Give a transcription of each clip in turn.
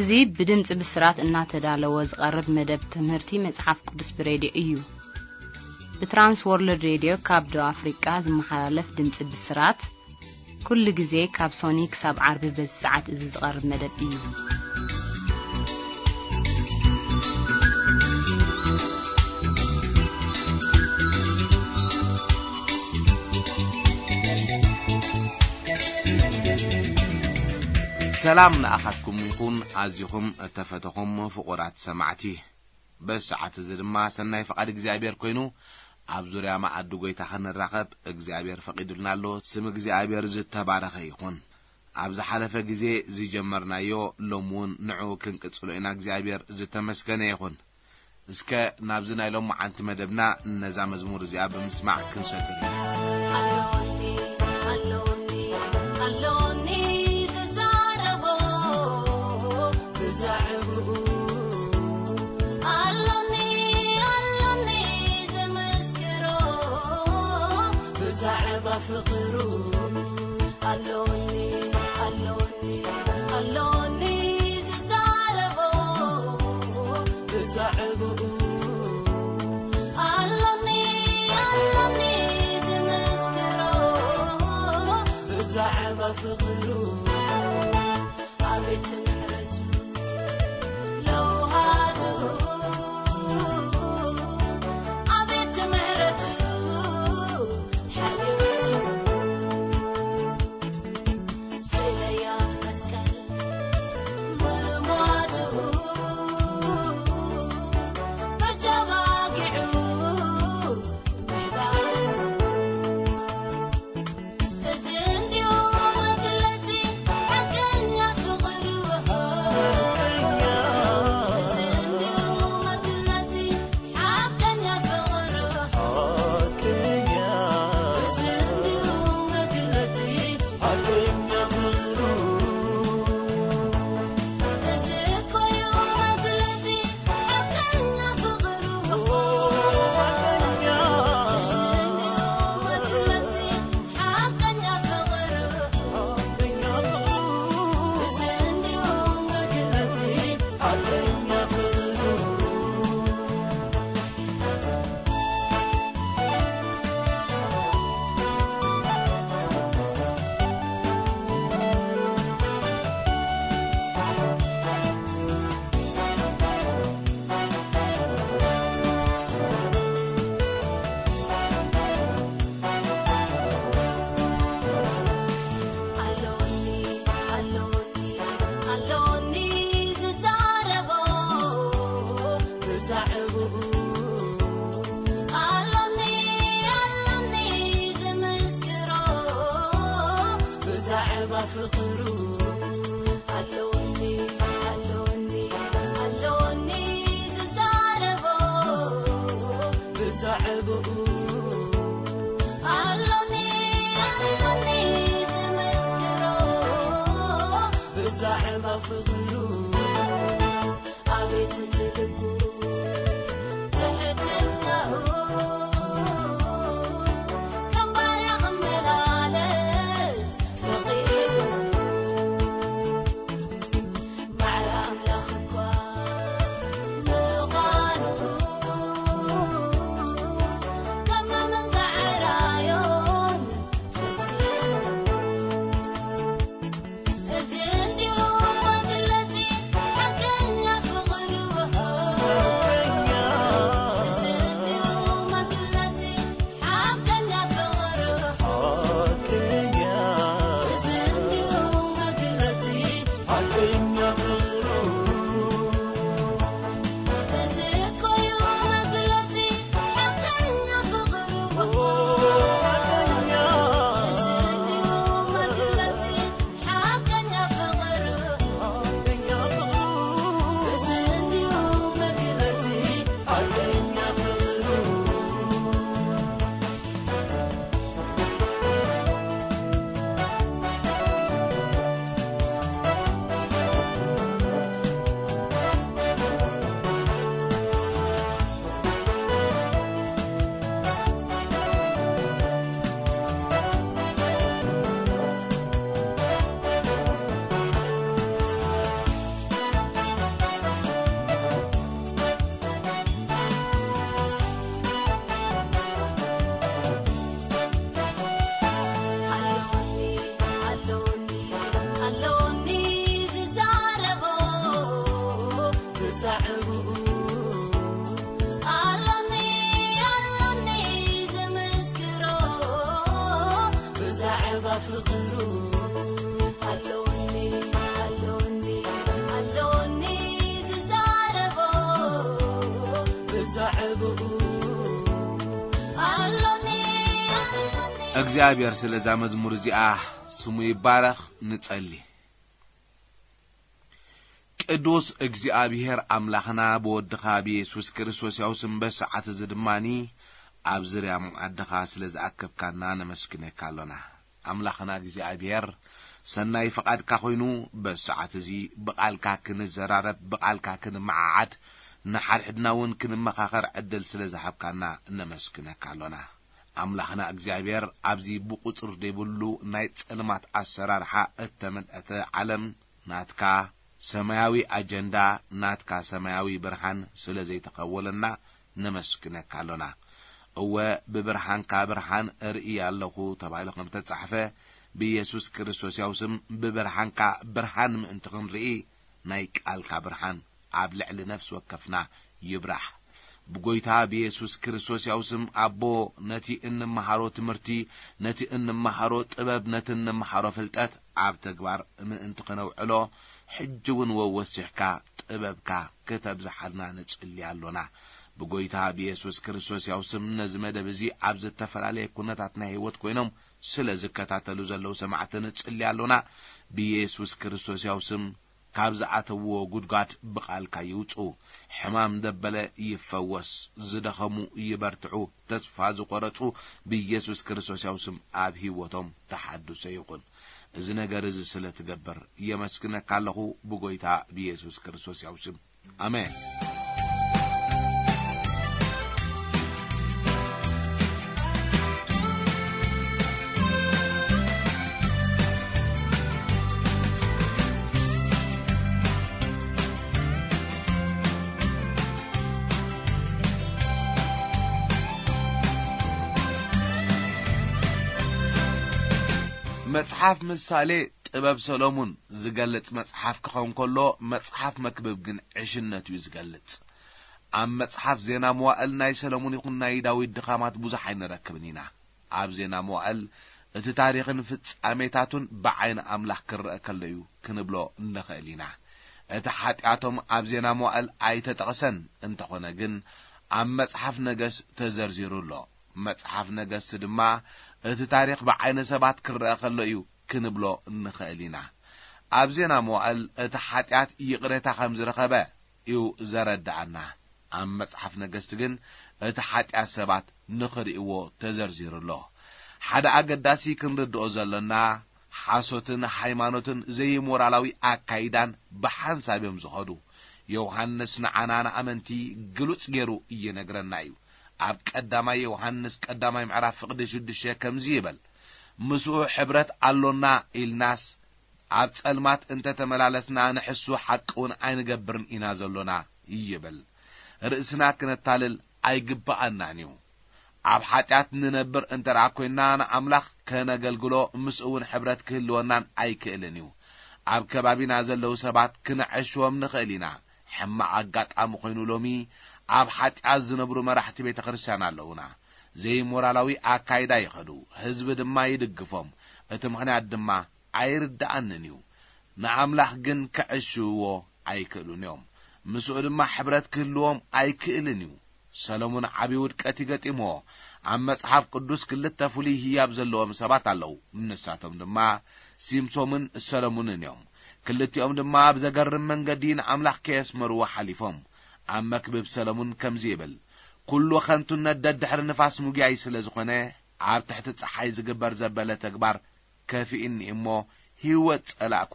እዚ ብድምጺ ብስራት እናተዳለወ ዝቐርብ መደብ ትምህርቲ መጽሓፍ ቅዱስ ብሬድዮ እዩ። ብትራንስ ወርልድ ሬድዮ ካብ ደቡብ ኣፍሪቃ ዝመሓላለፍ ድምጺ ብስራት፣ ኩሉ ግዜ ካብ ሶኒ ክሳብ ዓርቢ በዚ ሰዓት እዚ ዝቐርብ መደብ እዩ። ሰላም ንኣኻትኩም ይኹን፣ ኣዚኹም እተፈተኹም ፍቑራት ሰማዕቲ። በዚ ሰዓት እዚ ድማ ሰናይ ፍቓድ እግዚኣብሔር ኮይኑ፣ ኣብ ዙርያ መኣዲ ጐይታ ኸንራኸብ እግዚኣብሔር ፈቒዱልና ኣሎ። ስም እግዚኣብሔር ዝተባረኸ ይኹን። ኣብ ዝሓለፈ ግዜ ዝጀመርናዮ፣ ሎሚ እውን ንዕኡ ክንቅጽሎ ኢና። እግዚኣብሔር ዝተመስገነ ይኹን። እስከ ናብዚ ናይ ሎማዓንቲ መደብና ነዛ መዝሙር እዚኣ ብምስማዕ ክንሰግር ኢና። ኣሎኒ፣ ኣሎኒ፣ ኣሎኒ ዝዛረቦ ብዛዕባኡ። ኣሎኒ፣ ኣሎኒ ዝምስክሮ ብዛዕባ ፍቕሩ። ኣሎኒ፣ ኣሎኒ፣ ኣሎኒ ዝዛረቦ ብዛዕባኡ። ኣሎኒ፣ ኣሎኒ ዝምስክሮ ብዛዕባ ፍቕሩ። ኣቤት ምሕረቱ ለውሃቱ፣ ኣቤት ምሕረቱ ሓልዮቱ። ስለያ መስቀል ምሟቱ፣ በጃባጊዑ ምሕባሩ። እዚ እንዲሁ መግለጺ ሓቀኛ ፍቕሩ። እዚ እንዲሁ መግለጺ ሓቀኛ ፍቕሩ። እዚ እንዲሁ መግለጺ ሓቀኛ ፍቕሩ። እዚ እኮ እዩ መግለጺ ሓቀኛ ፍቕሩ። እዚ እንዲሁ መግለጺ ሓቀኛ ፍቕሩ። እዚ እንዲሁ መግለጺ ሓቀኛ ፍቕሩ። ኣሎኒ፣ ኣሎኒ፣ ኣሎኒ ዝዛረቦ ብዛዕባኡ። ኣሎኒ፣ ኣሎኒ ዝምስክሮ ብዛዕባ ፍቕሩ። ኣሎኒ፣ ኣሎኒ፣ ኣሎኒ ዝዛረቦ ብዛዕባኡ። ኣሎኒ፣ ኣሎኒ ዝምስክሮ ብዛዕባ ፍቕሩ። ኣቤት እቲ ልቡ ትሕትናኡ፣ ከም ባርያ ክመላለስ ፈቒዱ። ባዕሪ ኣምላኽ እኳ ምዃኑ ከማምን ዘዕራዮን ፈጺሙ። እዚ እንዲሁ መግለጺ ሓቀኛ ፍቕሩ። ብዛዕባ ፍቕሩ ኣለውኒ፣ ኣለውኒ፣ ኣለውኒ ዝዛረቦ ብዛዕባኡ ኣለውኒ፣ ኣለውኒ። እግዚኣብሔር ስለዛ መዝሙር እዚኣ ስሙ ይባረኽ። ንጸሊ። ቅዱስ እግዚኣብሔር ኣምላኽና ብወድኻ ብየሱስ ክርስቶስ ያው ስም በሰዓት እዚ ድማኒ ኣብ ዝርያ መዓድኻ ስለ ዝኣከብካና ነመስግነካ ኣሎና። ኣምላኽና እግዚኣብሔር ሰናይ ፍቓድካ ኮይኑ በሰዓት እዚ ብቓልካ ክንዘራረብ ብቓልካ ክንመዓዓድ ንሓድሕድና እውን ክንመኻኸር ዕድል ስለ ዝሃብካና ነመስግነካ ኣሎና። ኣምላኽና እግዚኣብሔር ኣብዚ ብቑጽር ዘይብሉ ናይ ጸልማት ኣሰራርሓ እተመልአተ ዓለም ናትካ ሰማያዊ ኣጀንዳ ናትካ ሰማያዊ ብርሃን ስለ ዘይተኸወለና ነመስግነካ ኣሎና። እወ ብብርሃንካ ብርሃን እርኢ ኣለኹ ተባሂሉ ከም ተጻሕፈ ብኢየሱስ ክርስቶስ ያው ስም ብብርሃንካ ብርሃን ምእንቲ ክንርኢ ናይ ቃልካ ብርሃን ኣብ ልዕሊ ነፍሲ ወከፍና ይብራህ። ብጎይታ ብየሱስ ክርስቶስ ያው ስም ኣቦ ነቲ እንመሃሮ ትምህርቲ፣ ነቲ እንመሃሮ ጥበብ፣ ነቲ እንመሃሮ ፍልጠት ኣብ ተግባር ምእንቲ ክነውዕሎ ሕጂ እውን ወወሲኽካ ጥበብካ ክተብዝሓልና ንጽሊ ኣሎና። ብጎይታ ብየሱስ ክርስቶስ ያው ስም ነዚ መደብ እዚ ኣብ ዝተፈላለየ ኩነታት ናይ ህይወት ኮይኖም ስለ ዝከታተሉ ዘለዉ ሰማዕቲ ንጽሊ ኣሎና። ብየሱስ ክርስቶስ ያው ስም ካብ ዝኣተውዎ ጉድጓድ ብቓልካ ይውጹ። ሕማም ደበለ ይፈወስ፣ ዝደኸሙ ይበርትዑ፣ ተስፋ ዝቖረጹ ብኢየሱስ ክርስቶስ ያው ስም ኣብ ህይወቶም ተሓድሶ ይኹን። እዚ ነገር እዚ ስለ ትገብር የመስግነካ ኣለኹ ብጎይታ ብኢየሱስ ክርስቶስ ያው ስም። ኣሜን። መጽሓፍ ምሳሌ ጥበብ ሰሎሙን ዝገልጽ መጽሓፍ ክኸውን ከሎ፣ መጽሓፍ መክብብ ግን ዕሽነቱ እዩ ዝገልጽ። ኣብ መጽሓፍ ዜና መዋእል ናይ ሰሎሙን ይኹን ናይ ዳዊት ድኻማት ብዙሕ ኣይንረክብን ኢና። ኣብ ዜና መዋእል እቲ ታሪኽን ፍጻሜታቱን ብዓይኒ ኣምላኽ ክረአ ከሎ እዩ ክንብሎ እንኽእል ኢና። እቲ ሓጢኣቶም ኣብ ዜና መዋእል ኣይተጠቕሰን፣ እንተኾነ ግን ኣብ መጽሓፍ ነገስ ተዘርዚሩ ኣሎ። መጽሓፍ ነገስት ድማ እቲ ታሪኽ ብዓይኒ ሰባት ክረአ ከሎ እዩ ክንብሎ እንኽእል ኢና። ኣብ ዜና መዋእል እቲ ሓጢኣት ይቕሬታ ከም ዝረኸበ እዩ ዘረድኣና። ኣብ መጽሓፍ ነገስት ግን እቲ ሓጢኣት ሰባት ንኽርእይዎ ተዘርዚሩ ኣሎ። ሓደ ኣገዳሲ ክንርድኦ ዘሎና፣ ሓሶትን ሃይማኖትን ዘይሞራላዊ ኣካይዳን ብሓንሳብ እዮም ዝኸዱ። ዮሃንስ ንዓና ንኣመንቲ ግሉጽ ገይሩ ይነግረና እዩ። ኣብ ቀዳማይ ዮሃንስ ቀዳማይ ምዕራፍ ፍቕዲ ሽዱሽተ ከምዚ ይብል፣ "ምስኡ ሕብረት ኣሎና ኢልናስ ኣብ ጸልማት እንተ ተመላለስና ንሕሱ ሓቂ እውን ኣይንገብርን ኢና ዘሎና" ይብል። ርእስና ክነታልል ኣይግብኣናን እዩ። ኣብ ሓጢኣት ንነብር እንተ ደኣ ኰይንና ንኣምላኽ ከነገልግሎ ምስኡ እውን ሕብረት ክህልወናን ኣይክእልን እዩ። ኣብ ከባቢና ዘለዉ ሰባት ክነዐሽዎም ንኽእል ኢና። ሕማቕ ኣጋጣሚ ኾይኑ ሎሚ ኣብ ሓጢኣት ዝነብሩ መራሕቲ ቤተ ክርስቲያን ኣለዉና። ዘይሞራላዊ ኣካይዳ ይኸዱ፣ ህዝቢ ድማ ይድግፎም። እቲ ምኽንያት ድማ ኣይርድኣንን እዩ። ንኣምላኽ ግን ክዕሽውዎ ኣይክእሉን እዮም። ምስኡ ድማ ሕብረት ክህልዎም ኣይክእልን እዩ። ሰሎሞን ዓቢ ውድቀት እዩ ገጢምዎ። ኣብ መጽሓፍ ቅዱስ ክልተ ፍሉይ ህያብ ዘለዎም ሰባት ኣለዉ። ንሳቶም ድማ ሲምሶምን ሰሎሞንን እዮም። ክልቲኦም ድማ ኣብ ዘገርም መንገዲ ንኣምላኽ ከየስመርዎ ሓሊፎም። ኣብ መክብብ ሰሎሞን ከምዚ ይብል፣ "ኩሉ ኸንቱነት ደድሕሪ ንፋስ ምጉያይ ስለ ዝኾነ፣ ኣብ ትሕቲ ጸሓይ ዝግበር ዘበለ ተግባር ከፊእኒ እሞ ህይወት ጸላእኩ"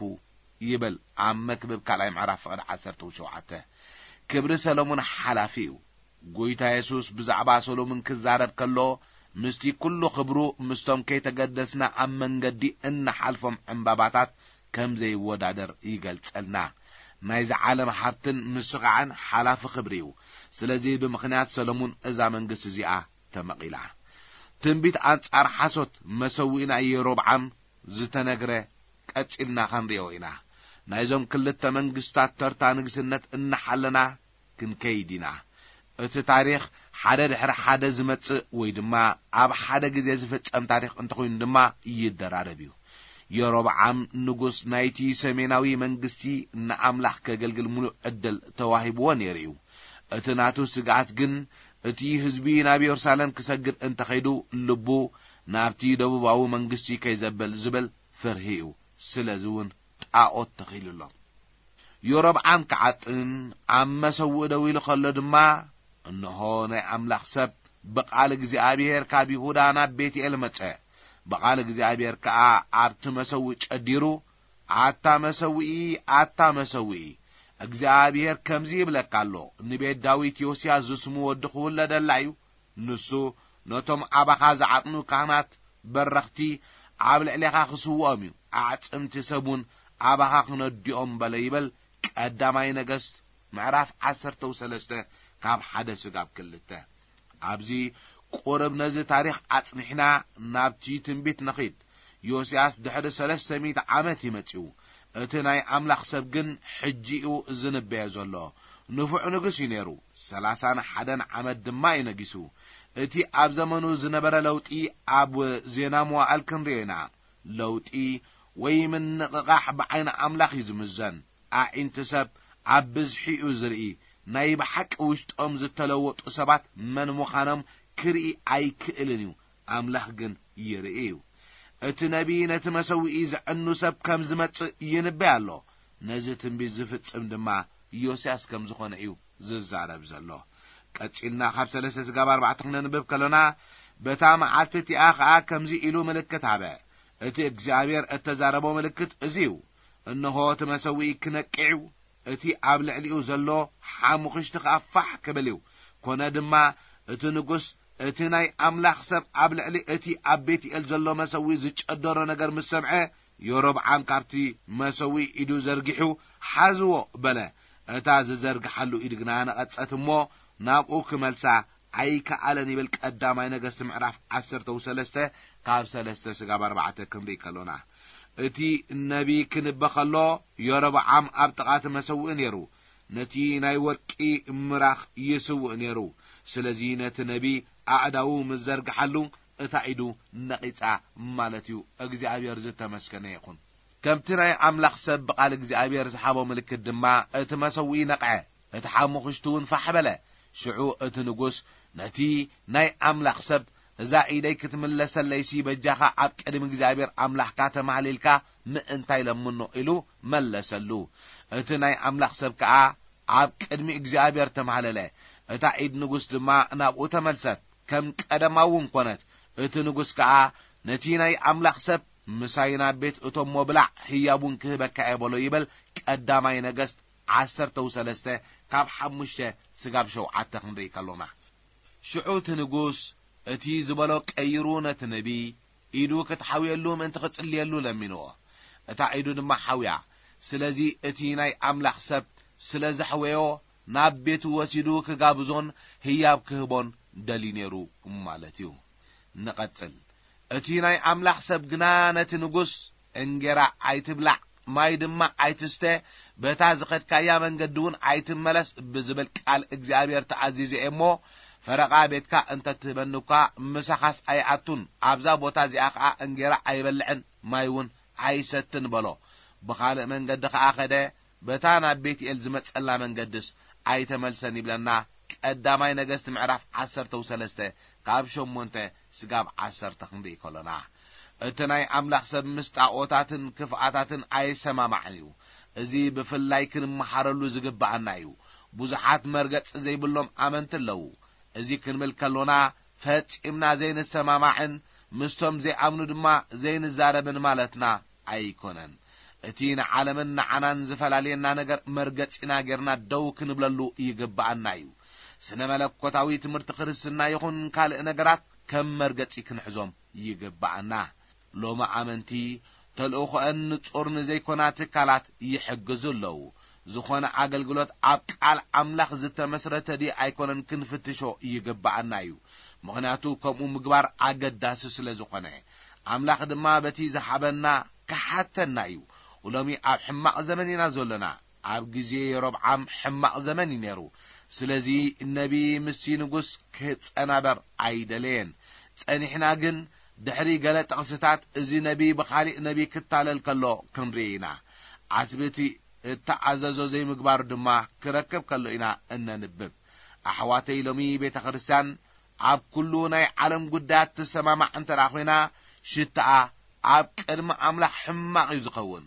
ይብል ኣብ መክብብ ካልኣይ ምዕራፍ ፍቕዲ ዓሰርተ ሸውዓተ። ክብሪ ሰሎሞን ሓላፊ እዩ። ጎይታ የሱስ ብዛዕባ ሰሎሞን ክዛረብ ከሎ፣ ምስቲ ኩሉ ክብሩ ምስቶም ከይተገደስና ኣብ መንገዲ እንሓልፎም ዕምባባታት ከም ዘይወዳደር ይገልጸልና። ናይዚ ዓለም ሃብትን ምስቓዕን ሓላፊ ክብሪ እዩ። ስለዚ ብምኽንያት ሰሎሞን እዛ መንግስቲ እዚኣ ተመቒላ። ትንቢት ኣንጻር ሓሶት መሰውኢና ኢዮሮብዓም ዝተነግረ ቀጺልና ኸንርእዮ ኢና። ናይዞም ክልተ መንግስታት ተርታ ንግስነት እናሓለና ክንከይድ ኢና። እቲ ታሪኽ ሓደ ድሕሪ ሓደ ዝመጽእ ወይ ድማ ኣብ ሓደ ግዜ ዝፍጸም ታሪኽ እንተኾይኑ ድማ ይደራረብ እዩ። የሮብዓም ንጉስ ናይቲ ሰሜናዊ መንግስቲ ንኣምላኽ ከገልግል ምሉእ ዕድል ተዋሂብዎ ነይሩ እዩ። እቲ ናቱ ስግኣት ግን እቲ ህዝቢ ናብ የሩሳሌም ክሰግድ እንተኸይዱ ልቡ ናብቲ ደቡባዊ መንግስቲ ከይዘብል ዝብል ፍርሂ እዩ። ስለዚ እውን ጣኦት ተኺሉ ኣሎ። ዮሮብዓም ክዓጥን ኣብ መሰውእ ደው ኢሉ ከሎ ድማ፣ እንሆ ናይ ኣምላኽ ሰብ ብቓል እግዚኣብሔር ካብ ይሁዳ ናብ ቤትኤል መጸ። ብቓል እግዚኣብሔር ከኣ ኣብቲ መሰውእ ጨዲሩ፣ ኣታ መሰውኢ፣ ኣታ መሰውኢ፣ እግዚኣብሔር ከምዚ ይብለካ ኣሎ፣ ንቤት ዳዊት ዮስያስ ዝስሙ ወዲ ክውለደላ እዩ። ንሱ ነቶም ኣባኻ ዝዓጥኑ ካህናት በረኽቲ ኣብ ልዕሌኻ ክስውኦም እዩ፣ ኣዕጽምቲ ሰብ እውን ኣባኻ ክነድኦም በለ ይብል ቀዳማይ ነገስት ምዕራፍ ዓሰርተ ሰለስተ ካብ ሓደ ስጋብ ክልተ። ኣብዚ ቁርብ ነዚ ታሪኽ ኣጽኒሕና ናብቲ ትንቢት ንኺድ። ዮስያስ ድሕሪ ሰለስተ ሚእቲ ዓመት እዩ መጺኡ። እቲ ናይ ኣምላኽ ሰብ ግን ሕጂ እዩ ዝንበዮ ዘሎ። ንፉዕ ንጉስ እዩ ነይሩ። ሰላሳን ሓደን ዓመት ድማ እዩ ነጊሱ። እቲ ኣብ ዘመኑ ዝነበረ ለውጢ ኣብ ዜና መዋእል ክንርእዮ ኢና። ለውጢ ወይ ምንቕቓሕ ብዓይኒ ኣምላኽ እዩ ዝምዘን። ኣዒንቲ ሰብ ኣብ ብዝሒ እዩ ዝርኢ። ናይ ብሓቂ ውሽጦም ዝተለወጡ ሰባት መን ምዃኖም ክርኢ ኣይክእልን እዩ። ኣምላኽ ግን ይርኢ እዩ። እቲ ነቢ ነቲ መሰውኢ ዘዕኑ ሰብ ከም ዝመጽእ ይንበይ ኣሎ። ነዚ ትንቢት ዝፍጽም ድማ ዮስያስ ከም ዝኾነ እዩ ዝዛረብ ዘሎ። ቀጺልና ካብ ሰለስተ ስጋብ ኣርባዕተ ክነንብብ ከሎና፣ በታ መዓልቲ እቲኣ ኸኣ ከምዚ ኢሉ ምልክት ሃበ። እቲ እግዚኣብሔር እተዛረቦ ምልክት እዚ እዩ። እንሆ እቲ መሰውኢ ክነቅዕ እዩ፣ እቲ ኣብ ልዕሊኡ ዘሎ ሓሙኽሽቲ ኸኣ ፋሕ ክብል እዩ። ኮነ ድማ እቲ ንጉስ እቲ ናይ ኣምላኽ ሰብ ኣብ ልዕሊ እቲ ኣብ ቤትኤል ዘሎ መሰውኢ ዝጨደሮ ነገር ምስ ሰምዐ፣ ዮሮብዓም ካብቲ መሰውኢ ኢዱ ዘርጊሑ፣ ሓዝዎ በለ። እታ ዝዘርግሓሉ ኢድ ግና ነቐጸት እሞ ናብኡ ክመልሳ ኣይከኣለን ይብል ቀዳማይ ነገስት ምዕራፍ ዓሰርተ ሰለስተ ካብ ሰለስተ ስጋብ ኣርባዕተ ክንርኢ ከሎና፣ እቲ ነቢ ክንበ ከሎ፣ ዮሮብዓም ኣብ ጥቓ እቲ መሰውኢ ነይሩ። ነቲ ናይ ወርቂ ምራኽ ይስውእ ነይሩ። ስለዚ ነቲ ነቢ ኣእዳዉ ምስ ዘርግሓሉ፣ እታ ኢዱ ነቒጻ ማለት እዩ። እግዚኣብሔር ዝተመስገነ ይኹን። ከምቲ ናይ ኣምላኽ ሰብ ብቓል እግዚኣብሔር ዝሃቦ ምልክት ድማ፣ እቲ መሰውኢ ነቕዐ፣ እቲ ሓሙኽሽቲ እውን ፋሕ በለ። ሽዑ እቲ ንጉስ ነቲ ናይ ኣምላኽ ሰብ፣ "እዛ ኢደይ ክትምለሰለይሲ በጃኻ ኣብ ቅድሚ እግዚኣብሔር ኣምላኽካ ተማህሊልካ ምእንታይ ለምኖ?" ኢሉ መለሰሉ። እቲ ናይ ኣምላኽ ሰብ ከኣ ኣብ ቅድሚ እግዚኣብሔር ተማህለለ። እታ ኢድ ንጉስ ድማ ናብኡ ተመልሰት፣ ከም ቀደማ እውን ኮነት። እቲ ንጉስ ከኣ ነቲ ናይ ኣምላኽ ሰብ፣ "ምሳይ ናብ ቤት እቶሞ ብላዕ፣ ህያብ እውን ክህበካ እየ" በሎ ይብል ቀዳማይ ነገስት ዓሰርተ ሰለስተ ካብ ሓሙሽተ ስጋብ ሸውዓተ ክንርኢ ከሎና። ሽዑ እቲ ንጉስ እቲ ዝበሎ ቀይሩ ነቲ ነቢ፣ ኢዱ ክትሓውየሉ ምእንቲ ክጽልየሉ ለሚንዎ። እታ ኢዱ ድማ ሓውያ። ስለዚ እቲ ናይ ኣምላኽ ሰብ ስለ ዘሕወዮ፣ ናብ ቤቱ ወሲዱ ክጋብዞን ህያብ ክህቦን ደልዩ ነይሩ ማለት እዩ። ንቐጽል። እቲ ናይ ኣምላኽ ሰብ ግና ነቲ ንጉስ፣ "እንጌራ ኣይትብላዕ፣ ማይ ድማ ኣይትስተ፣ በታ ዝኸድካያ መንገዲ እውን ኣይትመለስ" ብዝብል ቃል እግዚኣብሔር ተኣዚዘ እየ እሞ፣ ፈረቓ ቤትካ እንተትህበኒ እኳ ምሳኻስ ኣይኣቱን፣ ኣብዛ ቦታ እዚኣ ኸዓ እንጌራ ኣይበልዕን፣ ማይ እውን ኣይሰትን በሎ። ብኻልእ መንገዲ ኸዓ ኸደ፣ በታ ናብ ቤትኤል ዝመጸላ መንገድስ ኣይተመልሰን ይብለና ቀዳማይ ነገስት ምዕራፍ ዓሰርተ ሰለስተ ካብ ሸሞንተ ስጋብ ዓሰርተ ክንርኢ ከሎና። እቲ ናይ ኣምላኽ ሰብ ምስ ጣኦታትን ክፍኣታትን ኣይሰማማዕን እዩ። እዚ ብፍላይ ክንመሃረሉ ዝግብኣና እዩ። ብዙሓት መርገጺ ዘይብሎም ኣመንቲ ኣለዉ። እዚ ክንብል ከሎና ፈጺምና ዘይንሰማማዕን ምስቶም ዘይኣምኑ ድማ ዘይንዛረብን ማለትና ኣይኮነን። እቲ ንዓለምን ንዓናን ዝፈላልየና ነገር መርገጺና ጌርና ደው ክንብለሉ ይግብኣና እዩ። ስነ መለኮታዊ ትምህርቲ ክርስትና ይኹን ካልእ ነገራት ከም መርገጺ ክንሕዞም ይግብኣና። ሎሚ ኣመንቲ ተልእኾአን ንጹር ንዘይኮና ትካላት ይሕግዙ ኣለዉ። ዝኾነ ኣገልግሎት ኣብ ቃል ኣምላኽ ዝተመስረተ ድዩ ኣይኮነን ክንፍትሾ ይግብኣና እዩ። ምኽንያቱ ከምኡ ምግባር ኣገዳሲ ስለ ዝኾነ። ኣምላኽ ድማ በቲ ዝሃበና ክሓተና እዩ። ሎሚ ኣብ ሕማቕ ዘመን ኢና ዘሎና። ኣብ ግዜ የሮብዓም ሕማቕ ዘመን እዩ ነይሩ። ስለዚ ነቢ ምስቲ ንጉስ ክጸናበር ኣይደለየን። ጸኒሕና ግን ድሕሪ ገለ ጥቕስታት እዚ ነቢ ብኻሊእ ነቢ ክታለል ከሎ ክንርኢ ኢና። ዓስቢ እቲ እተኣዘዞ ዘይምግባሩ ድማ ክረክብ ከሎ ኢና እነንብብ። ኣሕዋተይ፣ ሎሚ ቤተ ክርስቲያን ኣብ ኩሉ ናይ ዓለም ጉዳያት ትሰማማዕ እንተ ደኣ ኾይና፣ ሽታኣ ኣብ ቅድሚ ኣምላኽ ሕማቕ እዩ ዝኸውን።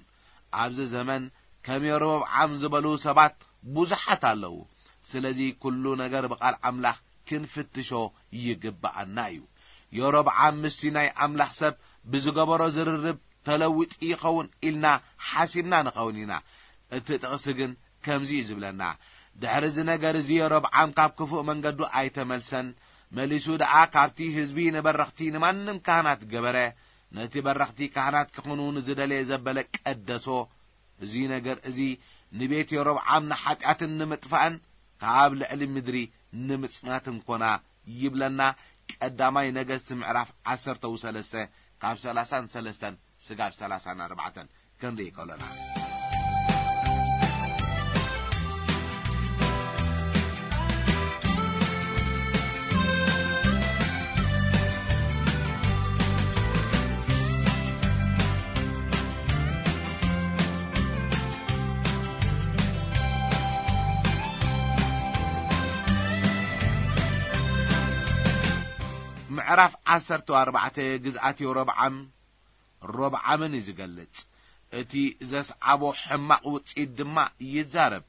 ኣብዚ ዘመን ከም የሮብዓም ዝበሉ ሰባት ብዙሓት ኣለዉ። ስለዚ ኩሉ ነገር ብቓል ኣምላኽ ክንፍትሾ ይግብኣና እዩ። የሮብዓም ምስቲ ናይ ኣምላኽ ሰብ ብዝገበሮ ዝርርብ ተለዊጡ ይኸውን ኢልና ሓሲብና ንኸውን ኢና። እቲ ጥቕሲ ግን ከምዚ እዩ ዝብለና፣ ድሕሪ እዚ ነገር እዚ የሮብዓም ካብ ክፉእ መንገዱ ኣይተመልሰን። መሊሱ ደኣ ካብቲ ህዝቢ ንበረኽቲ ንማንም ካህናት ገበረ። ነቲ በረኽቲ ካህናት ክኹኑ ንዝደለየ ዘበለ ቀደሶ። እዚ ነገር እዚ ንቤት የሮብዓም ንሓጢኣትን ንምጥፋእን ካብ ልዕሊ ምድሪ ንምጽናትን ኮና ይብለና። ቀዳማይ ነገስት ምዕራፍ ዓሰርተ ሰለስተ ካብ ሰላሳን ሰለስተን ስጋብ ሰላሳን ኣርባዕተን ክንርኢ ከሎና። ምዕራፍ ዓሰርተ ኣርባዕተ ግዝኣት ዮሮብዓም ሮብዓምን እዩ ዝገልጽ። እቲ ዘስዓቦ ሕማቕ ውጽኢት ድማ ይዛረብ።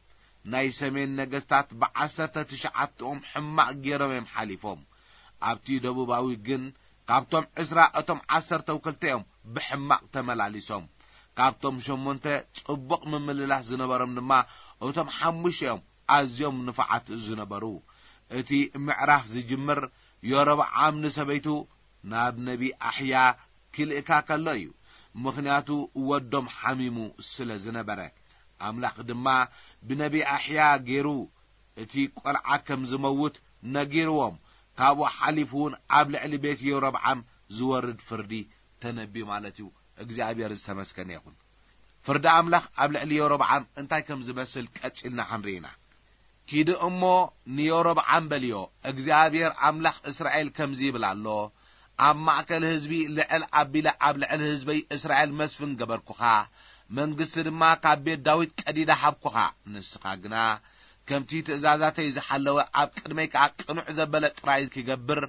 ናይ ሰሜን ነገስታት ብዓሰርተ ትሽዓተኦም ሕማቕ ገይሮም እዮም ሓሊፎም። ኣብቲ ደቡባዊ ግን ካብቶም ዕስራ እቶም ዓሰርተው ክልተ እዮም ብሕማቕ ተመላሊሶም። ካብቶም ሸሞንተ ጽቡቕ ምምልላስ ዝነበሮም ድማ እቶም ሓሙሽተ እዮም ኣዝዮም ንፉዓት ዝነበሩ። እቲ ምዕራፍ ዝጅምር ዮሮብዓም ንሰበይቱ ናብ ነቢ ኣሕያ ክልእካ ከሎ እዩ። ምኽንያቱ ወዶም ሓሚሙ ስለ ዝነበረ። ኣምላኽ ድማ ብነቢ ኣሕያ ገይሩ እቲ ቆልዓ ከም ዝመውት ነጊርዎም። ካብኡ ሓሊፉ እውን ኣብ ልዕሊ ቤት የሮብዓም ዝወርድ ፍርዲ ተነብዩ ማለት እዩ። እግዚኣብሔር ዝተመስገነ ይኹን። ፍርዲ ኣምላኽ ኣብ ልዕሊ የሮብዓም እንታይ ከም ዝመስል ቀጺልና ክንርኢ ኢና። ኪዲ እሞ ንዮሮብዓም በልዮ፣ እግዚኣብሔር ኣምላኽ እስራኤል ከምዚ ይብል ኣሎ፣ ኣብ ማእከል ህዝቢ ልዕል ኣቢለ ኣብ ልዕሊ ህዝበይ እስራኤል መስፍን ገበርኩኻ፣ መንግስቲ ድማ ካብ ቤት ዳዊት ቀዲደ ሃብኩኻ። ንስኻ ግና ከምቲ ትእዛዛተይ ዝሓለወ፣ ኣብ ቅድመይ ከኣ ቅኑዕ ዘበለ ጥራይ ክገብር፣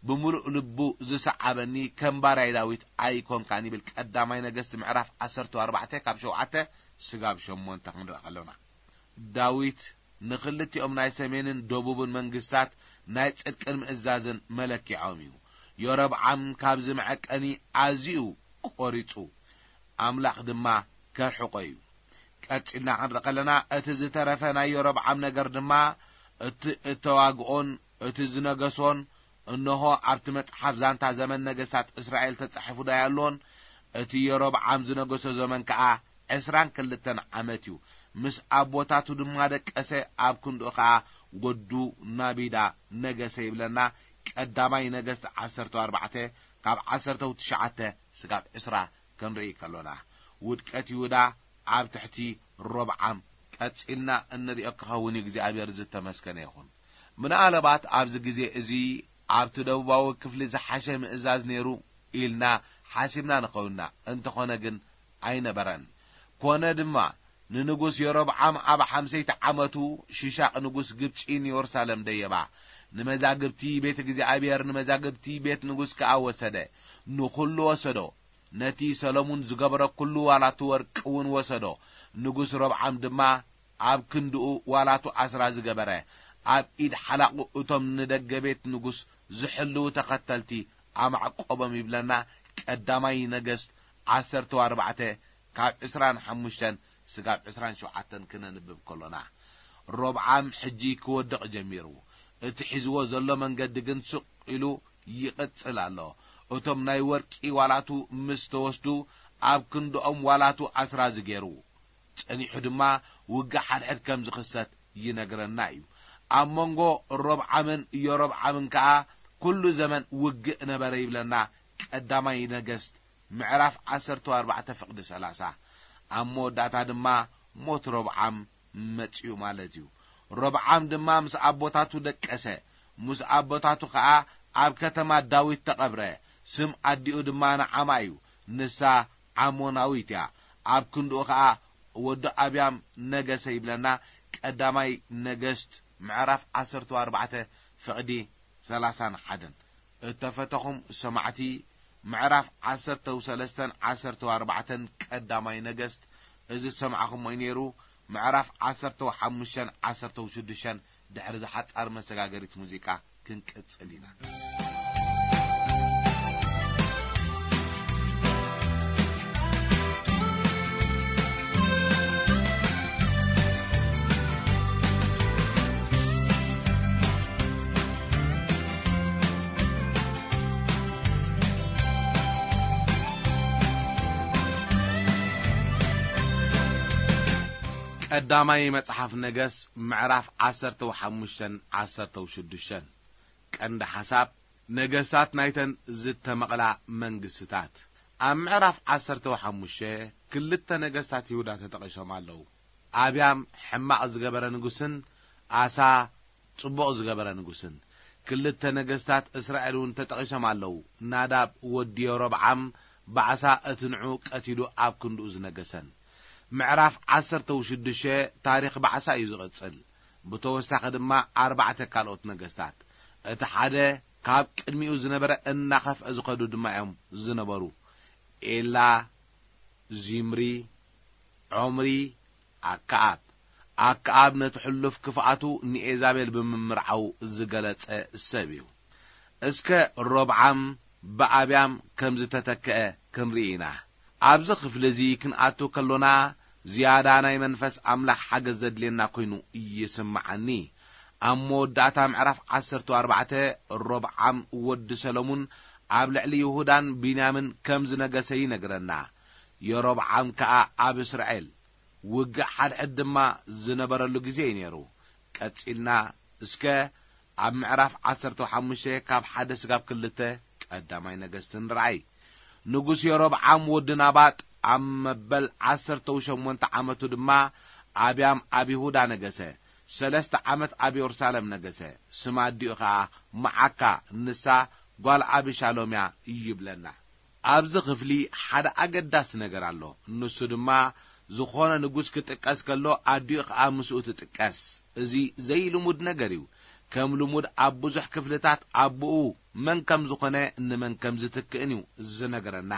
ብምሉእ ልቡ ዝሰዓበኒ ከም ባርያይ ዳዊት ኣይኮንካን ይብል። ቀዳማይ ነገስት ምዕራፍ ዓሰርተ ኣርባዕተ ካብ ሸውዓተ ስጋብ ሸሞንተ ክንርኢ ከሎና። ዳዊት ንኽልቲኦም ናይ ሰሜንን ደቡብን መንግስታት ናይ ጽድቅን ምእዛዝን መለኪዖም እዩ። ዮሮብዓም ካብዚ መዐቀኒ ኣዝዩ ቆሪጹ፣ ኣምላኽ ድማ ከርሕቆ እዩ። ቀጺልና ክንርኢ ከለና፣ እቲ ዝተረፈ ናይ ዮሮብዓም ነገር ድማ፣ እቲ እተዋግኦን እቲ ዝነገሶን፣ እንሆ፣ ኣብቲ መጽሓፍ ዛንታ ዘመን ነገስታት እስራኤል ተጻሒፉ ዶ ኣየሎን? እቲ ዮሮብዓም ዝነገሶ ዘመን ከኣ ዕስራን ክልተን ዓመት እዩ። ምስ ኣቦታቱ ድማ ደቀሰ፣ ኣብ ክንድኡ ኸኣ ወዱ ናቢዳ ነገሰ ይብለና። ቀዳማይ ነገስት ዓሰርተ ኣርባዕተ ካብ ዓሰርተ ትሽዓተ ስጋብ ዕስራ ክንርኢ ከሎና፣ ውድቀት ይሁዳ ኣብ ትሕቲ ሮብዓም ቀጺልና እንርእዮ ክኸውን እዩ። እግዚኣብሔር ዝተመስገነ ይኹን። ምናልባት ኣብዚ ግዜ እዚ ኣብቲ ደቡባዊ ክፍሊ ዝሓሸ ምእዛዝ ነይሩ ኢልና ሓሲብና ንኸውንና፣ እንተኾነ ግን ኣይነበረን። ኮነ ድማ፣ ንንጉስ የሮብዓም ኣብ ሓምሰይቲ ዓመቱ ሽሻቕ ንጉስ ግብጺ ንዮርሳለም ደየባ። ንመዛግብቲ ቤት እግዚኣብሔር፣ ንመዛግብቲ ቤት ንጉስ ከኣ ወሰደ። ንኹሉ ወሰዶ። ነቲ ሰሎሙን ዝገበሮ ኩሉ ዋላቱ ወርቂ እውን ወሰዶ። ንጉስ ሮብዓም ድማ ኣብ ክንድኡ ዋላቱ ኣስራ ዝገበረ፣ ኣብ ኢድ ሓላቑ እቶም ንደገ ቤት ንጉስ ዝሕልዉ ተኸተልቲ ኣማዕቆቦም ይብለና። ቀዳማይ ነገስት ዓሰርተ ኣርባዕተ ካብ ዕስራን ሓሙሽተን ስጋብ ዕስራን ሸውዓተን ክነንብብ ከሎና፣ ሮብዓም ሕጂ ክወድቕ ጀሚሩ። እቲ ሒዝዎ ዘሎ መንገዲ ግን ስቕ ኢሉ ይቕጽል ኣሎ። እቶም ናይ ወርቂ ዋላቱ ምስ ተወስዱ፣ ኣብ ክንድኦም ዋላቱ ኣስራ ዝገይሩ። ጸኒሑ ድማ ውግእ ሓድሕድ ከም ዝኽሰት ይነግረና እዩ። ኣብ መንጎ ሮብዓምን ዮሮብዓምን ከኣ ኩሉ ዘመን ውግእ ነበረ ይብለና ቀዳማይ ነገስት ምዕራፍ ዓሰርተ ኣርባዕተ ፍቕዲ ሰላሳ። ኣብ መወዳእታ ድማ ሞት ሮብዓም መጺኡ ማለት እዩ። ሮብዓም ድማ ምስ ኣቦታቱ ደቀሰ፣ ምስ ኣቦታቱ ኸኣ ኣብ ከተማ ዳዊት ተቐብረ። ስም ኣዲኡ ድማ ናዓማ እዩ፣ ንሳ ዓሞናዊት እያ። ኣብ ክንድኡ ኸኣ ወዲ ኣብያም ነገሰ ይብለና። ቀዳማይ ነገስት ምዕራፍ ዓሰርተ ኣርባዕተ ፍቕዲ ሰላሳን ሓደን። እተፈተኹም ሰማዕቲ፣ ምዕራፍ ዓሰርተ ሰለስተን ዓሰርተ ኣርባዕተን ቀዳማይ ነገስት፣ እዚ ዝሰማዕኹሞ እዩ ነይሩ። ምዕራፍ ዓሰርተ ሓሙሽተን ዓሰርተ ሽዱሽተን ድሕሪ ዝሓጻር መሰጋገሪት ሙዚቃ ክንቅጽል ኢና። ቀዳማይ መጽሓፍ ነገስ ምዕራፍ ዓሰርተ ሓሙሽተን ዓሰርተ ሽዱሽተን። ቀንዲ ሓሳብ፣ ነገስታት ናይተን ዝተመቕላ መንግስትታት። ኣብ ምዕራፍ ዓሰርተ ሓሙሽተ ክልተ ነገስታት ይሁዳ ተጠቒሶም ኣለዉ። ኣብያም ሕማቕ ዝገበረ ንጉስን ኣሳ ጽቡቕ ዝገበረ ንጉስን። ክልተ ነገስታት እስራኤል እውን ተጠቒሶም ኣለዉ። ናዳብ ወዲ የሮብዓም ባዕሳ እቲ ንዑ ቀቲሉ ኣብ ክንድኡ ዝነገሰን። ምዕራፍ ዓሰርተ ሽዱሽተ ታሪኽ ባዕሳ እዩ ዝቕጽል። ብተወሳኺ ድማ ኣርባዕተ ካልኦት ነገስታት፣ እቲ ሓደ ካብ ቅድሚኡ ዝነበረ እናኸፍአ ዝኸዱ ድማ እዮም ዝነበሩ። ኤላ፣ ዚምሪ፣ ዖምሪ፣ ኣከኣብ። ኣከኣብ ነቲ ሕሉፍ ክፍኣቱ ንኤዛቤል ብምምርዓው ዝገለጸ ሰብ እዩ። እስከ ሮብዓም ብኣብያም ከም ዝተተክአ ክንርኢ ኢና። ኣብዚ ክፍሊ እዚ ክንኣቱ ከሎና ዝያዳ ናይ መንፈስ ኣምላኽ ሓገዝ ዘድልየና ኮይኑ ይስምዓኒ። ኣብ መወዳእታ ምዕራፍ ዓሰርተ ኣርባዕተ ሮብዓም ወዲ ሰሎሙን ኣብ ልዕሊ ይሁዳን ቢንያምን ከም ዝነገሰ ይነግረና። የሮብዓም ከኣ ኣብ እስራኤል ውግእ ሓድሕድ ድማ ዝነበረሉ ግዜ እዩ ነይሩ። ቀጺልና እስከ ኣብ ምዕራፍ ዓሰርተ ሓሙሽተ ካብ ሓደ ስጋብ ክልተ ቀዳማይ ነገስት ንርኣይ። ንጉስ የሮብዓም ወዲ ናባጥ ኣብ መበል ዓሰርተ ሸሞንተ ዓመቱ ድማ ኣብያም ኣብ ይሁዳ ነገሰ። ሰለስተ ዓመት ኣብ የሩሳሌም ነገሰ። ስም ኣዲኡ ኸኣ መዓካ፣ ንሳ ጓል ኣቢሻሎም እያ ይብለና። ኣብዚ ክፍሊ ሓደ ኣገዳሲ ነገር ኣሎ። ንሱ ድማ፣ ዝኾነ ንጉስ ክጥቀስ ከሎ ኣዲኡ ኸኣ ምስኡ ትጥቀስ። እዚ ዘይልሙድ ነገር እዩ። ከም ልሙድ ኣብ ብዙሕ ክፍልታት ኣቦኡ መን ከም ዝኾነ ንመን ከም ዝትክእን እዩ ዝነግረና።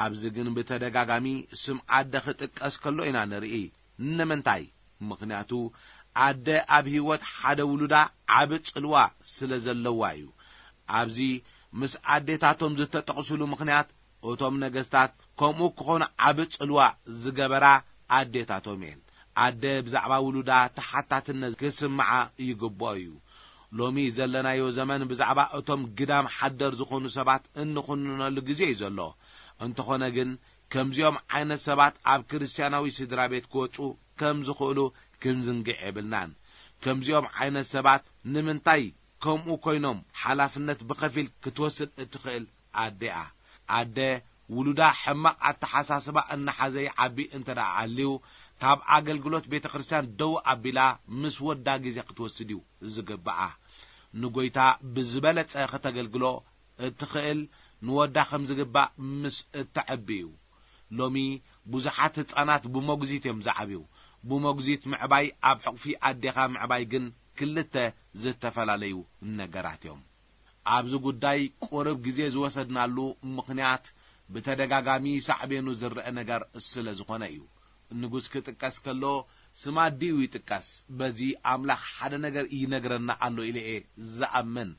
ኣብዚ ግን ብተደጋጋሚ ስም ኣደ ክጥቀስ ከሎ ኢና ንርኢ። ንምንታይ? ምኽንያቱ ኣደ ኣብ ህይወት ሓደ ውሉዳ ዓቢ ጽልዋ ስለ ዘለዋ እዩ። ኣብዚ ምስ ኣዴታቶም ዝተጠቕሱሉ ምኽንያት፣ እቶም ነገስታት ከምኡ ክኾኑ ዓቢ ጽልዋ ዝገበራ ኣዴታቶም እየን። ኣደ ብዛዕባ ውሉዳ ተሓታትነት ክስምዓ ይግብኦ እዩ። ሎሚ ዘለናዮ ዘመን ብዛዕባ እቶም ግዳም ሓደር ዝኾኑ ሰባት እንኹንነሉ ግዜ እዩ ዘሎ። እንተኾነ ግን፣ ከምዚኦም ዓይነት ሰባት ኣብ ክርስትያናዊ ስድራ ቤት ክወጹ ከም ዝኽእሉ ክንዝንግዕ የብልናን። ከምዚኦም ዓይነት ሰባት ንምንታይ ከምኡ ኮይኖም ሓላፍነት ብኸፊል ክትወስድ እትኽእል ኣደ እያ። ኣደ ውሉዳ ሕማቕ ኣተሓሳስባ እናሓዘ ይዓቢ እንተ ደኣ ኣልዩ፣ ካብ ኣገልግሎት ቤተ ክርስቲያን ደው ኣቢላ ምስ ወዳ ግዜ ክትወስድ እዩ ዝግብኣ። ንጎይታ ብዝበለጸ ከተገልግሎ እትኽእል ንወዳ ከም ዝግባእ ምስ እተዐቢ እዩ። ሎሚ ብዙሓት ህጻናት ብሞግዚት እዮም ዝዓብዩ። ብሞግዚት ምዕባይ ኣብ ሕቑፊ ኣዴኻ ምዕባይ ግን ክልተ ዝተፈላለዩ ነገራት እዮም። ኣብዚ ጉዳይ ቁሩብ ግዜ ዝወሰድናሉ ምኽንያት ብተደጋጋሚ ሳዕቤኑ ዝረአ ነገር ስለ ዝኾነ እዩ። ንጉስ ክጥቀስ ከሎ ስም ኣዲኡ ይጥቀስ። በዚ ኣምላኽ ሓደ ነገር ይነግረና ኣሎ ኢለ እየ ዝኣምን።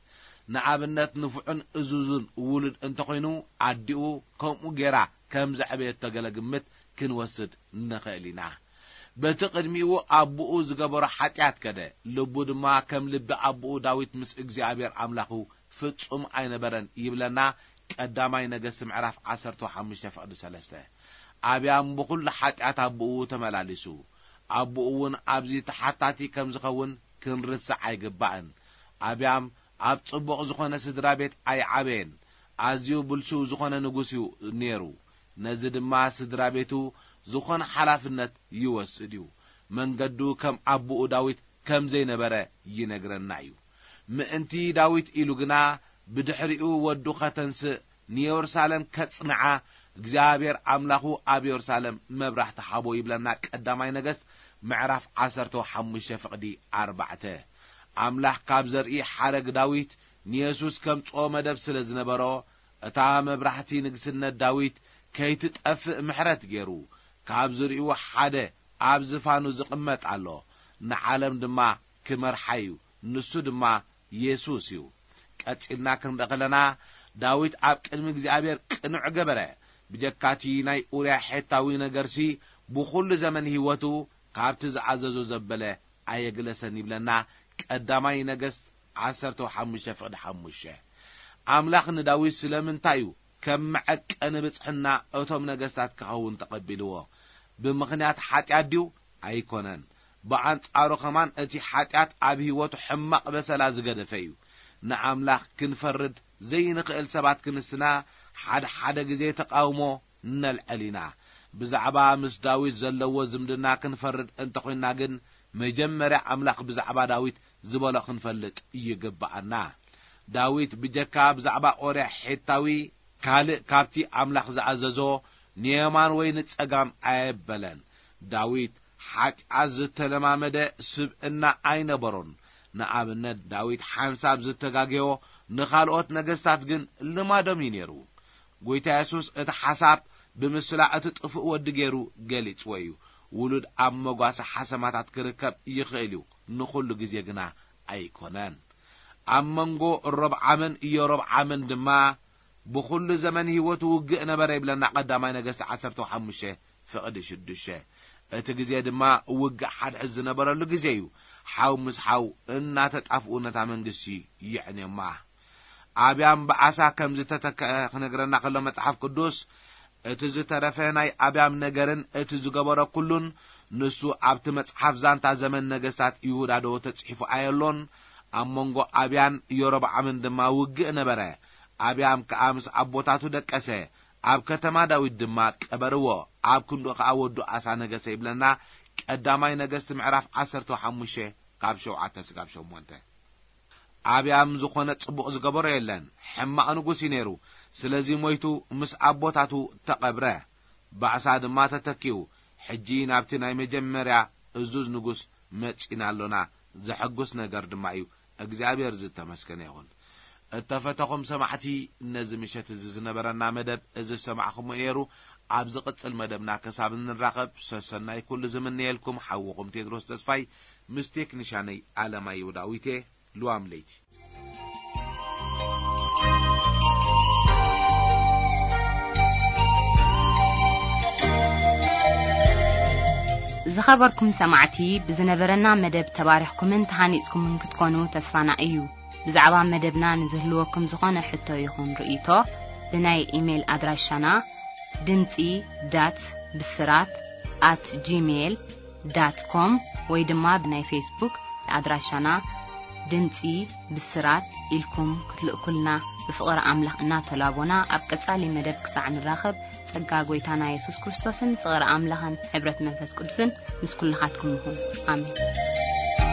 ንኣብነት ንፉዕን እዙዝን ውሉድ እንተኾይኑ ኣዲኡ ከምኡ ጌራ ከም ዘዕበየቶ ገለ ግምት ክንወስድ ንኽእል ኢና። በቲ ቅድሚኡ ኣቦኡ ዝገበሮ ሓጢኣት ከደ፣ ልቡ ድማ ከም ልቢ ኣቦኡ ዳዊት ምስ እግዚኣብሔር ኣምላኹ ፍጹም ኣይነበረን ይብለና ቀዳማይ ነገስት ምዕራፍ ዓሰርተ ሓሙሽተ ፍቕዲ ሰለስተ። ኣብያም ብኹሉ ሓጢኣት ኣቦኡ ተመላሊሱ። ኣቦኡ እውን ኣብዚ ተሓታቲ ከም ዝኸውን ክንርስዕ ኣይግባእን። ኣብያም ኣብ ጽቡቕ ዝኾነ ስድራ ቤት ኣይዓበየን። ኣዝዩ ብልሹው ዝኾነ ንጉስ እዩ ነይሩ። ነዚ ድማ ስድራ ቤቱ ዝኾነ ሓላፍነት ይወስድ እዩ። መንገዱ ከም ኣቦኡ ዳዊት ከም ዘይነበረ ይነግረና እዩ። ምእንቲ ዳዊት ኢሉ ግና ብድሕሪኡ ወዱ ከተንስእ ንየሩሳሌም ከጽንዓ እግዚኣብሔር ኣምላኹ ኣብ የሩሳሌም መብራህቲ ሃቦ ይብለና ቀዳማይ ነገስት ምዕራፍ ዓሰርተ ሓሙሽተ ፍቕዲ ኣርባዕተ። ኣምላኽ ካብ ዘርኢ ሓረግ ዳዊት ንየሱስ ከምጽኦ መደብ ስለ ዝነበሮ እታ መብራህቲ ንግስነት ዳዊት ከይትጠፍእ ምሕረት ገይሩ ካብ ዝርእዩ ሓደ ኣብ ዝፋኑ ዝቕመጥ ኣሎ። ንዓለም ድማ ክመርሓ እዩ። ንሱ ድማ የሱስ እዩ። ቀጺልና ክንርኢ ከለና ዳዊት ኣብ ቅድሚ እግዚኣብሔር ቅኑዕ ገበረ። ብጀካቲ ናይ ኡርያ ሔታዊ ነገርሲ ብኹሉ ዘመን ህይወቱ ካብቲ ዝኣዘዞ ዘበለ ኣየግለሰን ይብለና ቀዳማይ ነገስት ዓሰርተ ሓሙሽተ ፍቕዲ ሓሙሽተ። ኣምላኽ ንዳዊት ስለምንታይ እዩ ከም መዐቀኒ ብጽሕና እቶም ነገስታት ክኸውን ተቐቢልዎ? ብምኽንያት ሓጢኣት ድዩ? ኣይኮነን። ብኣንጻሩ ኸማን እቲ ሓጢኣት ኣብ ህይወቱ ሕማቕ በሰላ ዝገደፈ እዩ። ንኣምላኽ ክንፈርድ ዘይንኽእል ሰባት ክንስና ሓደ ሓደ ግዜ ተቃውሞ ነልዕል ኢና። ብዛዕባ ምስ ዳዊት ዘለዎ ዝምድና ክንፈርድ እንተኾይንና ግን መጀመርያ ኣምላኽ ብዛዕባ ዳዊት ዝበሎ ክንፈልጥ ይግብኣና። ዳዊት ብጀካ ብዛዕባ ኦርያ ሒታዊ ካልእ ካብቲ ኣምላኽ ዝኣዘዞ ንየማን ወይ ንጸጋም ኣየበለን። ዳዊት ሓጢኣት ዝተለማመደ ስብእና ኣይነበሮን። ንኣብነት ዳዊት ሓንሳብ ዝተጋገዮ ንኻልኦት ነገስታት ግን ልማዶም እዩ ነይሩ። ጎይታ የሱስ እቲ ሓሳብ ብምስላ እቲ ጥፉእ ወዲ ገይሩ ገሊጽዎ እዩ። ውሉድ ኣብ መጓሰ ሓሰማታት ክርከብ ይኽእል እዩ፣ ንኹሉ ግዜ ግና ኣይኮነን። ኣብ መንጎ ሮብዓምን ኢዮሮብዓምን ድማ ብኹሉ ዘመን ህይወቱ ውግእ ነበረ ይብለና ቀዳማይ ነገስቲ ዓሰርተ ሓሙሽተ ፍቕዲ ሽዱሽተ። እቲ ግዜ ድማ ውግእ ሓድሕድ ዝነበረሉ ግዜ እዩ። ሓው ምስ ሓው እናተጣፍኡ ነታ መንግስቲ የዕንዮማ። ኣብያም ብኣሳ ከም ዝተተክአ ክነግረና ከሎ መጽሓፍ ቅዱስ፣ እቲ ዝተረፈ ናይ ኣብያም ነገርን እቲ ዝገበሮ ኩሉን ንሱ ኣብቲ መጽሓፍ ዛንታ ዘመን ነገስታት ይሁዳ ዶ ተጽሒፉ ኣየሎን? ኣብ መንጎ ኣብያን የሮብዓምን ድማ ውግእ ነበረ። ኣብያም ከኣ ምስ ኣቦታቱ ደቀሰ፣ ኣብ ከተማ ዳዊት ድማ ቀበርዎ፣ ኣብ ክንድኡ ከኣ ወዱ ኣሳ ነገሰ ይብለና ቀዳማይ ነገስቲ ምዕራፍ ዓሰርተ ሓሙሽተ ካብ ሸውዓተ ስጋብ ሸሞንተ። ኣብያም ዝኾነ ጽቡቕ ዝገበሮ የለን። ሕማቕ ንጉስ እዩ ነይሩ። ስለዚ ሞይቱ ምስ ኣቦታቱ ተቐብረ። ባእሳ ድማ ተተኪኡ። ሕጂ ናብቲ ናይ መጀመርያ እዙዝ ንጉስ መጺና ኣሎና። ዘሐጉስ ነገር ድማ እዩ። እግዚኣብሔር ዝተመስገነ ይኹን። እተፈተኹም ሰማዕቲ፣ ነዚ ምሸት እዚ ዝነበረና መደብ እዚ ዝሰማዕኹምዎ ነይሩ። ኣብ ዝቕጽል መደብና ክሳብ እንራኸብ ሰሰናይ ኩሉ ዝምነየልኩም ሓውኹም ቴድሮስ ተስፋይ ምስ ቴክኒሻነይ ኣለማየሁ ዳዊቴ። ልዋም ለይቲ። ዝኸበርኩም ሰማዕቲ፣ ብዝነበረና መደብ ተባሪኽኩምን ተሃኒጽኩምን ክትኮኑ ተስፋና እዩ። ብዛዕባ መደብና ንዝህልወኩም ዝኾነ ሕቶ ይኹን ርእይቶ፣ ብናይ ኢሜይል ኣድራሻና ድምጺ ዳት ብስራት ኣት ጂሜይል ዳት ኮም ወይ ድማ ብናይ ፌስቡክ ኣድራሻና ድምጺ ብስራት ኢልኩም ክትልእኩልና ብፍቕሪ ኣምላኽ እናተላቦና፣ ኣብ ቀጻሊ መደብ ክሳዕ ንራኸብ፣ ጸጋ ጐይታና የሱስ ክርስቶስን ፍቕሪ ኣምላኽን ሕብረት መንፈስ ቅዱስን ምስ ኩልኻትኩም ይኹን። ኣሜን።